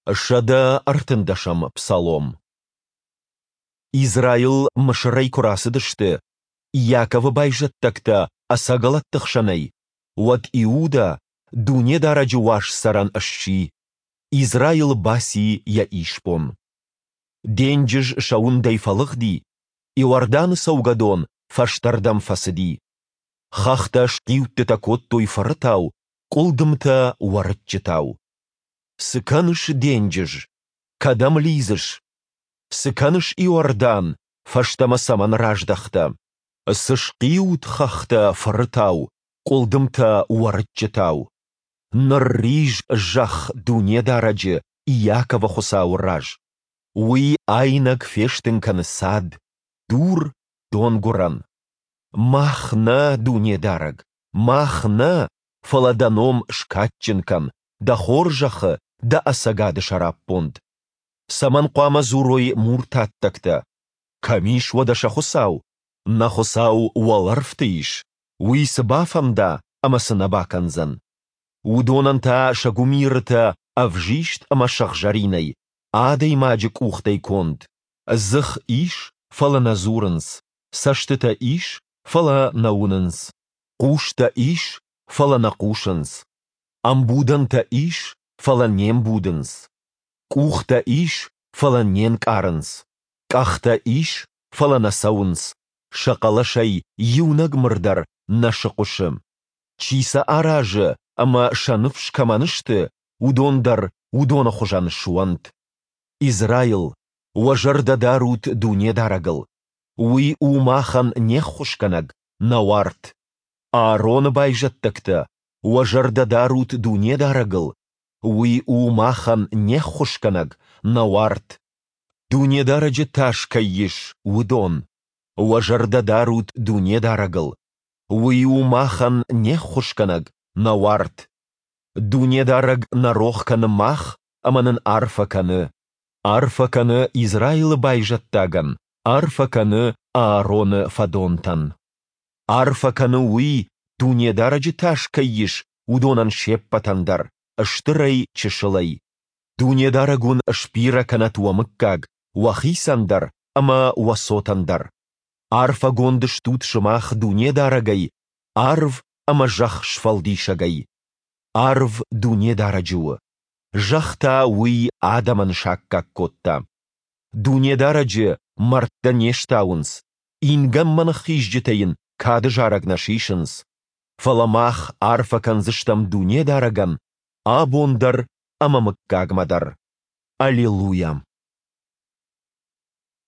113-ӕм псалом. Израил Мысырӕй куы рацыдысты, Иаковы байзӕддӕгтӕ ӕцӕгӕлӕтты хсӕнӕй, уӕд Иудӕ Дунедарӕджы уаз цӕрӕн сси, Израил баци йӕ исбон. Денджыз сӕ уындӕй фӕлыгъди, Иорданы цӕугӕдон фӕстӕрдӕм фӕцыди. Хӕхтӕ схъиудтытӕ кодтой фырытау, къуылдымтӕ уӕрыччытау. Цы кӕныс, денджыз? Кӕдӕм лидзыс? Цы кӕныс, Иордан, фӕстӕмӕ цӕмӕн раздӕхтӕ? Цы схъиуд хӕхтӕ фырытау, къуылдымтӕ уӕрыччытау? Нырриз зӕхх Дунедарӕджы, Иаковы Хуыцауы раз. Уый айнӕг фестын кӕны цад, дур, донгуырӕн. Мах нӕ, Дунедарӕг, мах нӕ, фӕлӕ дӕ ном скадджын кӕн, дӕ хорзӕхы, дӕ ӕцӕгады сӕраппонд. Цӕмӕн хъуамӕ дзурой муртаттӕгтӕ? Кӕм ис уӕдӕ сӕ Хуыцау? Нӕ Хуыцау уӕлӕрвты ис, уый цы бафӕнда ӕмӕ цы нӕ бакӕндзӕн. Уыдонӕн та сӕ гуымирытӕ ӕвзист ӕмӕ сыгъзӕринӕй, адӕймаджы къухтӕй конд. Дзых ис, фӕлӕ нӕ дзурынц, цӕстытӕ ис, фӕлӕ нӕ уынынц, хъустӕ ис, фӕлӕ нӕ хъусынц. Ӕмбудӕнтӕ ис, фӕлӕ не мбудынц. Къухтӕ ис, фӕлӕ не нкъарынц. Къӕхтӕ ис, фӕлӕ нӕ цӕуынц. Сӕ хъӕлӕсӕй иунӕг мыр дӕр нӕ сыхъуысы. Чи сӕ аразы ӕмӕ сӕ ныфс кӕмӕн сты, уыдон дӕр уыдоны хуызӕн суӕнт. Израил, уӕ зӕрдӕ дарут Дунедарӕгыл. Уый у махӕн не ххуысгӕнӕг, нӕ уарт. Аароны байзӕддӕгтӕ, уӕ зӕрдӕ дарут Дунедарӕгыл, Уый у махӕн не ххуысгӕнӕг, нӕ уарт. Дунедарӕджы тас кӕй ис, уыдон, уӕ зӕрдӕ дарут Дунедарӕгыл, Уый у махӕн не ххуысгӕнӕг, нӕ уарт. Дунедарӕг нӕ рох кӕны мах ӕмӕ нын арфӕ кӕны. Арфӕ кӕны Израилы байзӕддагӕн, арфӕ кӕны Аароны фӕдонтӕн. Арфӕ кӕны Уый, Дунедарӕджы тас кӕй ис, уыдонӕн се ппӕтӕн дӕр, стырӕй-чысылӕй. Дунедарӕг уын сбирӕ кӕнӕт уӕ мыггаг, уӕхицӕн дӕр ӕмӕ уӕ цотӕн дӕр. Арфӕгонд стут сымах Дунедарӕгӕй, арв ӕмӕ зӕхх сфӕлдисӕгӕй. Арв Дунедарӕджы у, зӕхх та Уый адӕмӕн саккаг кодта. Дунедарӕджы мӕрдтӕ не стауынц, ингӕнмӕ ныххизджытӕ йын кады зарӕг нӕ сисынц. Фӕлӕ мах арфӕ кӕндзыстӕм Дунедарӕгӕн абон дӕр ӕмӕ мыггагмӕ дӕр. Аллилуйа!